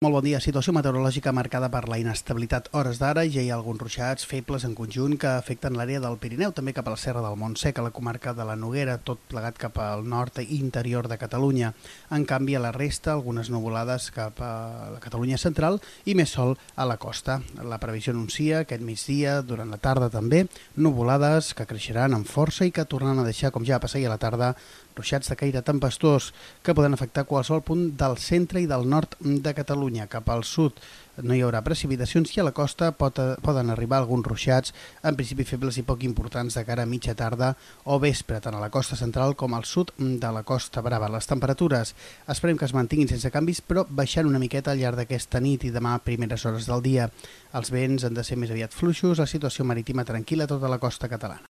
Molt bon dia. Situació meteorològica marcada per la inestabilitat hores d'ara. Ja hi ha alguns ruixats febles en conjunt que afecten l'àrea del Pirineu, també cap a la Serra del Montsec, a la comarca de la Noguera, tot plegat cap al nord i interior de Catalunya. En canvi, a la resta, algunes nuvolades cap a la Catalunya central i més sol a la costa. La previsió anuncia aquest migdia, durant la tarda també, nuvolades que creixeran amb força i que tornaran a deixar, com ja va passar ahir a la tarda, ruixats de caire tempestós que poden afectar qualsevol punt del centre i del nord de Catalunya. Cap al sud no hi haurà precipitacions i a la costa poden arribar alguns ruixats, en principi febles i poc importants de cara a mitja tarda o vespre, tant a la costa central com al sud de la Costa Brava. Les temperatures esperem que es mantinguin sense canvis, però baixant una miqueta al llarg d'aquesta nit i demà a primeres hores del dia. Els vents han de ser més aviat fluixos, la situació marítima tranquil·la a tota la costa catalana.